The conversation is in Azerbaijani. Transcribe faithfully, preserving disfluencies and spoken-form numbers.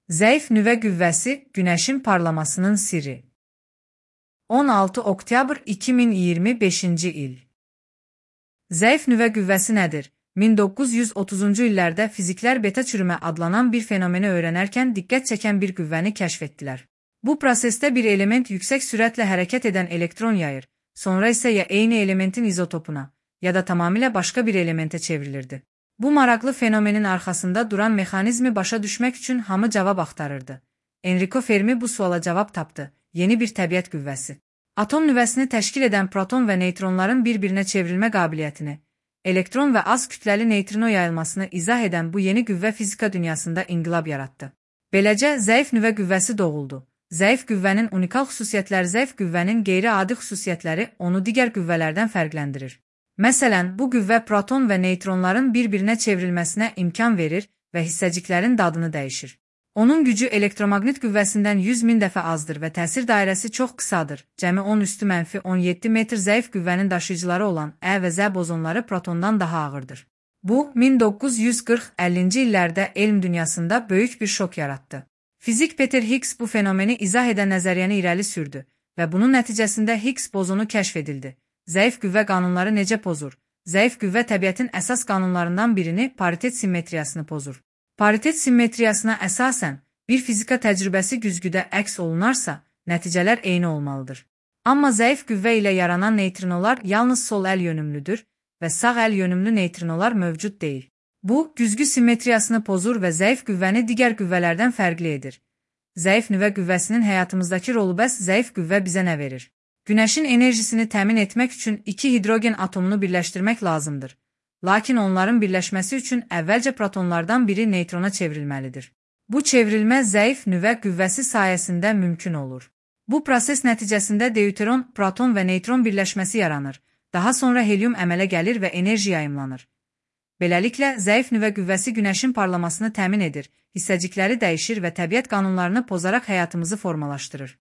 Zəif nüvə qüvvəsi Günəşin parlamasının sirri. on altı oktyabr iki min iyirmi beşinci il. Zəif nüvə qüvvəsi nədir? min doqquz yüz otuzuncu illərdə fiziklər beta çürümə adlanan bir fenomeni öyrənərkən diqqət çəkən bir qüvvəni kəşf etdilər. Bu prosesdə bir element yüksək sürətlə hərəkət edən elektron yayır, sonra isə ya eyni elementin izotopuna, ya da tamamilə başqa bir elementə çevrilirdi. Bu maraqlı fenomenin arxasında duran mexanizmi başa düşmək üçün hamı cavab axtarırdı. Enrico Fermi bu suala cavab tapdı: yeni bir təbiət qüvvəsi. Atom nüvəsini təşkil edən proton və neytronların bir-birinə çevrilmə qabiliyyətini, elektron və az kütləli neytrino yayılmasını izah edən bu yeni qüvvə fizika dünyasında inqilab yaratdı. Beləcə, zəif nüvə qüvvəsi doğuldu. Zəif qüvvənin unikal xüsusiyyətləri. Zəif qüvvənin qeyri-adi xüsusiyyətləri onu digər qüvvələrdən fərqləndirir. Məsələn, bu qüvvə proton və neytronların bir-birinə çevrilməsinə imkan verir və hissəciklərin dadını dəyişir. Onun gücü elektromaqnit qüvvəsindən yüz min dəfə azdır və təsir dairəsi çox qısadır. Cəmi on üstü mənfi on yeddi metr. Zəif qüvvənin daşıyıcıları olan Ə və Z bozonları protondan daha ağırdır. Bu, min doqquz yüz qırx əllinci illərdə elm dünyasında böyük bir şok yaratdı. Fizik Peter Higgs bu fenomeni izah edən nəzəriyyəni irəli sürdü və bunun nəticəsində Higgs bozonu kəşf edildi. Zəif qüvvə qanunları necə pozur? Zəif qüvvə təbiətin əsas qanunlarından birini, paritet simmetriyasını pozur. Paritet simmetriyasına əsasən, bir fizika təcrübəsi güzgüdə əks olunarsa, nəticələr eyni olmalıdır. Amma zəif qüvvə ilə yaranan neytrinolar yalnız sol əl yönümlüdür və sağ əl yönümlü neytrinolar mövcud deyil. Bu, güzgü simmetriyasını pozur və zəif qüvvəni digər qüvvələrdən fərqli edir. Zəif nüvə qüvvəsinin həyatımızdakı rolu. Bəs zəif qüvvə bizə nə verir? Günəşin enerjisini təmin etmək üçün iki hidrogen atomunu birləşdirmək lazımdır. Lakin onların birləşməsi üçün əvvəlcə protonlardan biri neytrona çevrilməlidir. Bu çevrilmə zəif nüvə qüvvəsi sayəsində mümkün olur. Bu proses nəticəsində deuteron, proton və neytron birləşməsi yaranır. Daha sonra helyum əmələ gəlir və enerji yayımlanır. Beləliklə, zəif nüvə qüvvəsi Günəşin parlamasını təmin edir, hissəcikləri dəyişir və təbiət qanunlarını pozaraq həyatımızı formalaşdırır.